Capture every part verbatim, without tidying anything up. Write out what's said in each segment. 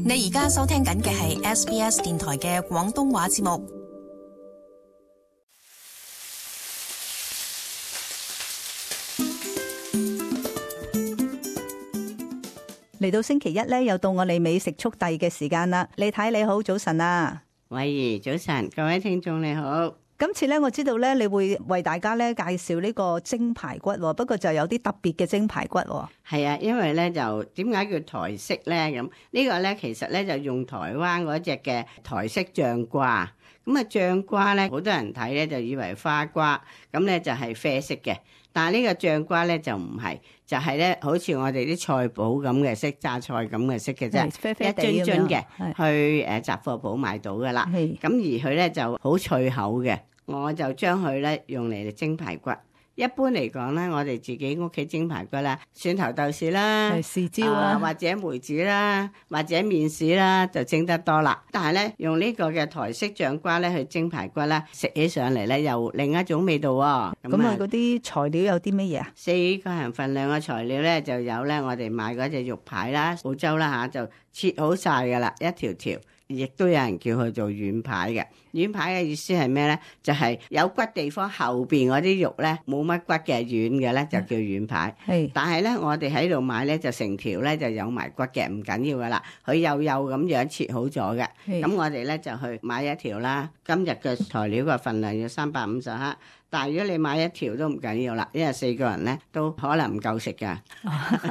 你而家收聽緊嘅係 S B S 電台嘅廣東話節目。嚟到星期一咧，又到我哋美食速遞嘅時間啦。李太你好，早晨啊！慧怡早晨，各位聽眾你好。今次咧，我知道咧，你會為大家咧介紹呢個蒸排骨，不過就有啲特別嘅蒸排骨。係啊，因為咧就點解叫台式咧？咁呢個咧其實咧就用台灣嗰隻嘅台式醬瓜。咁啊醬瓜咧，好多人睇咧就以為花瓜，咁咧就係啡色嘅。但係呢個醬瓜咧就唔係，就係咧好似我哋啲菜脯咁嘅色，榨菜咁嘅色嘅啫，啡啡地一樽樽嘅，咁樣去誒雜貨鋪買到噶啦。咁而佢咧就好脆口嘅，我就將佢咧用嚟蒸排骨。一般嚟講咧，我哋自己屋企蒸排骨啦，蒜頭豆豉啦，豉椒啊，或者梅子啦，或者面豉啦，就蒸得多啦。但係咧，用呢個嘅台式醬瓜咧去蒸排骨啦，食起上嚟咧又另一種味道喎。咁啊，嗰啲材料有啲乜嘢啊？四個人份量嘅材料咧，就有咧我哋買嗰隻肉排啦，澳洲啦嚇，就切好晒噶啦，一條條。亦都有人叫佢做軟排嘅，軟排嘅意思係咩咧？就係、是、有骨地方後邊嗰啲肉咧冇乜骨嘅軟嘅咧就叫軟排。係，但係咧我哋喺度買咧就成條咧就有埋骨嘅，唔緊要噶啦，佢幼幼咁樣切好咗嘅。咁我哋咧就去買一條啦。今日嘅材料嘅份量要三百五十克。但係如果你買一條都唔緊要啦，因為四個人咧都可能唔夠食噶，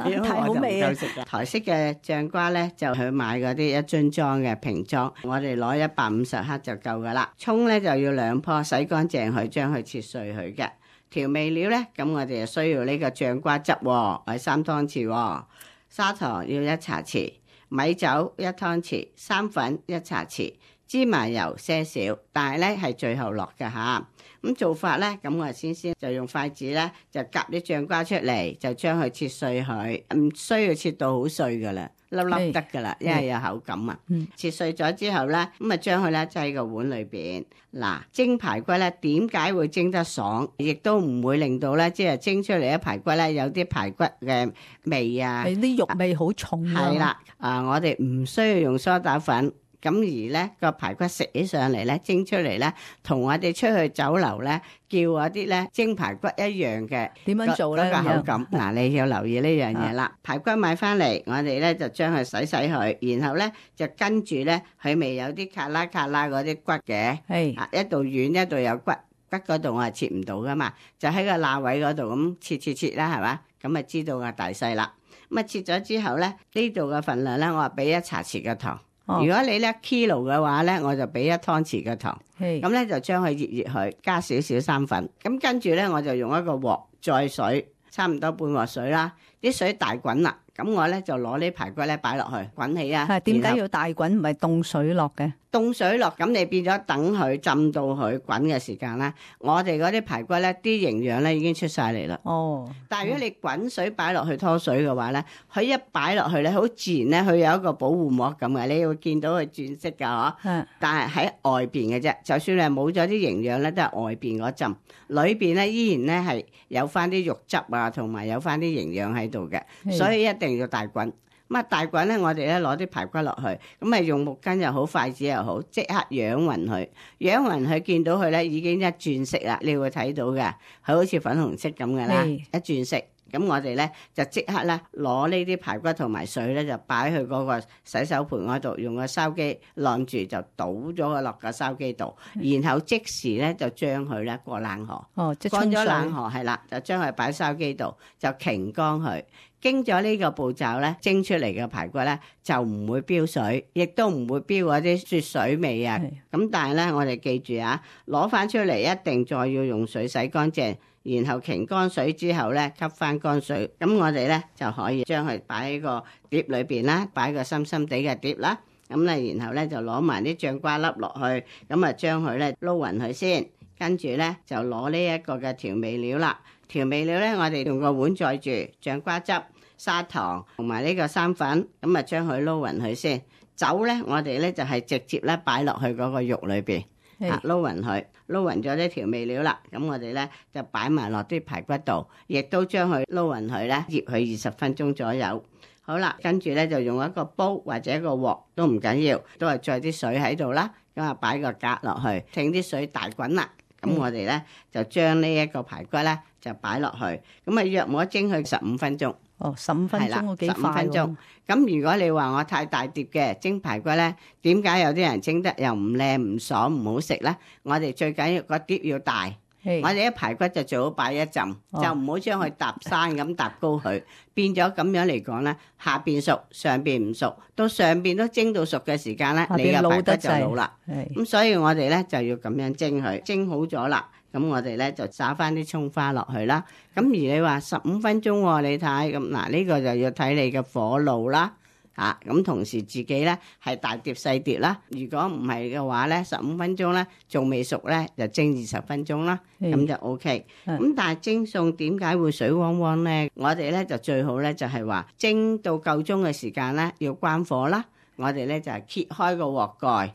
因為我就唔夠食噶。台式嘅醬瓜咧就去買嗰啲一樽裝嘅瓶裝，我哋攞一百五十克就夠噶啦。葱咧就要兩棵，洗乾淨佢，將佢切碎佢嘅。調味料咧，咁我哋就需要呢個醬瓜汁，係三湯匙，砂糖要一茶匙，米酒一湯匙，生粉一茶匙，芝麻油些少，但係咧係最後落嘅吓。咁做法咧，咁我先先就用筷子咧，就夾啲醬瓜出嚟，就將佢切碎佢，唔需要切到好碎噶啦，粒粒得噶啦，因為有口感啊。切碎咗之後咧，咁啊將佢咧擠個碗裏邊。嗱，蒸排骨咧點解會蒸得爽，亦都唔會令到咧即係蒸出嚟嘅排骨咧有啲排骨嘅味啊，啲肉味好重啊。係啦，啊我哋唔需要用梳打粉。咁而咧個排骨食起上嚟咧蒸出嚟咧，同我哋出去酒樓咧叫嗰啲咧蒸排骨一樣嘅。點樣做咧？嗰個口感嗱，你要留意呢樣嘢啦。排骨買翻嚟，我哋咧就將佢洗洗佢，然後咧就跟住咧佢未有啲卡拉卡拉嗰啲骨嘅，係啊一度軟一度有骨，骨嗰度我係切唔到噶嘛，就喺個罅位嗰度咁切切切啦，係嘛？咁啊知道個大細啦。咁啊切咗之後咧，呢度嘅份量咧，我話俾一茶匙嘅糖。哦、如果你咧 kilo 嘅話咧，我就俾一湯匙嘅糖，咁咧就將佢熱熱佢，加少少生粉，咁跟住咧我就用一個鑊載水，差唔多半鑊水啦，啲水大滾啦，咁我咧就攞呢排骨咧擺落去滾起啊。係點解要大滾唔係凍水落嘅？凍水落，咁你變咗等佢浸到佢滾嘅時間啦。我哋嗰啲排骨咧，啲營養咧已經出晒嚟啦。哦，但係如果你滾水擺落去拖水嘅話咧，佢一擺落去咧，好自然咧，佢有一個保護膜咁嘅，你會見到佢轉色噶嗬。嗯。但係喺外邊嘅啫，就算你係冇咗啲營養咧，都係外邊嗰浸，裏邊咧依然咧係有翻啲肉汁啊，同埋有翻啲營養喺度嘅，所以一定要大滾。咁啊大滾咧，我哋咧攞啲排骨落去，咁啊用木棍又好，筷子又好，即刻揚勻佢，揚勻佢，見到佢咧已經一轉色啦，你會睇到嘅，佢好似粉紅色咁嘅啦，一轉色。咁我哋咧就即刻咧攞呢啲排骨同埋水咧就擺去嗰個洗手盆嗰度，用個筲箕晾住就倒咗佢落個筲箕度，然後即時咧就將佢咧過冷河，哦，即乾咗冷河係啦，就將佢擺筲箕度就擎乾佢。經咗呢個步驟咧，蒸出嚟嘅排骨咧就唔會飆水，亦都唔會飆嗰啲雪水味啊。咁但係咧，我哋記住啊，攞翻出嚟一定再要用水洗乾淨，然後擎乾水之後咧吸翻乾水。咁我哋咧就可以將佢擺喺個碟裏邊啦，擺個深深地嘅碟啦。咁咧，然後咧就攞埋啲醬瓜粒落去，咁啊將佢咧撈勻佢先，跟住咧就攞呢一個嘅調味料啦。調味料咧，我哋用個碗載住醬瓜汁、砂糖同埋呢個生粉，咁啊將佢撈勻佢先。酒咧，我哋咧就係直接咧擺落去嗰個肉裏邊，啊撈勻佢，撈勻咗啲調味料啦。咁我哋咧就擺埋落啲排骨度，亦都將佢撈勻佢咧，醃佢二十分鐘左右。好啦，跟住咧就用一個煲或者一個鑊都唔緊要，都係載啲水喺度啦。咁啊擺個格落去，聽啲水大滾啦。咁、嗯、我哋咧就將呢一個排骨咧就擺落去，咁啊約莫蒸佢十五分鐘。哦，十五分鐘我幾快喎。十五分鐘。咁如果你話我太大碟嘅蒸排骨咧，點解有啲人蒸得又唔靚唔爽唔好食咧？我哋最緊要個碟要大。我哋啲排骨就最好擺一浸，哦、就唔好將佢搭山咁搭高佢，變咗咁樣嚟講咧，下邊熟上邊唔熟，到上邊都蒸到熟嘅時間咧，你嘅排骨就老啦。咁所以我哋咧就要咁樣蒸佢，蒸好咗啦，咁我哋咧就撒翻啲蔥花落去啦。咁而你話十五分鐘喎，你睇咁嗱呢個就要睇你嘅火爐啦。啊，咁同時自己咧係大碟細碟啦。如果唔係嘅話咧，十五分鐘咧仲未熟咧，就蒸二十分鐘啦，咁就 O K。咁但係蒸餸點解會水汪汪咧？我哋咧就最好咧就係話蒸到夠鐘嘅時間咧要關火啦。我哋咧就係揭開個鑊蓋，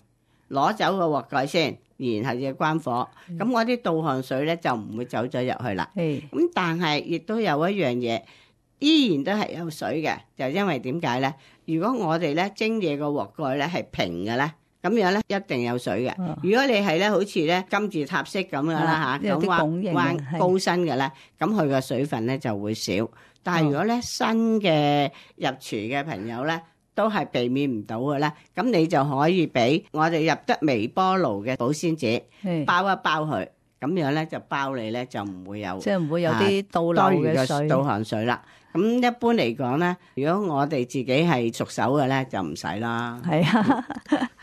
攞走個鑊蓋先，然後要關火。咁我啲倒汗水咧就唔會走咗入去啦。咁但係亦都有一樣嘢。依然都係有水嘅，就因為點解咧？如果我哋咧蒸嘢個鑊蓋咧係平嘅咧，咁樣咧一定有水嘅。哦、如果你係咧好似咧金字塔式咁樣啦嚇，咁彎彎高身嘅咧，咁佢個水分咧就會少。但係如果咧新嘅入廚嘅朋友咧，都係避免唔到嘅咧，咁你就可以俾我哋入得微波爐嘅保鮮紙包一包佢，咁樣咧就包你咧就唔會有，即係唔會有啲倒流嘅水、倒汗水啦。咁一般嚟講咧，如果我哋自己係熟手嘅咧，就唔使啦。係啊，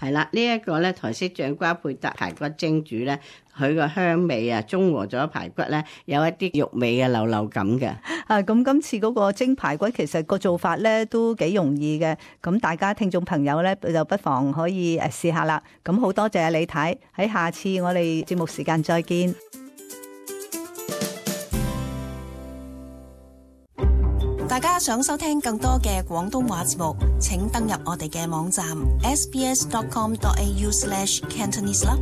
係啦，呢一個咧台式醬瓜配搭排骨蒸煮咧，佢個香味啊，中和咗排骨咧，有一啲肉味嘅流流感嘅。啊，咁今次嗰個蒸排骨其實個做法咧都幾容易嘅，咁大家聽眾朋友咧就不妨可以誒試下啦。咁好多謝李太，喺下次我哋節目時間再見。大家想收聽更多嘅廣東話節目，請登入我哋嘅網站 s b s dot com dot a u slash cantonese 啦。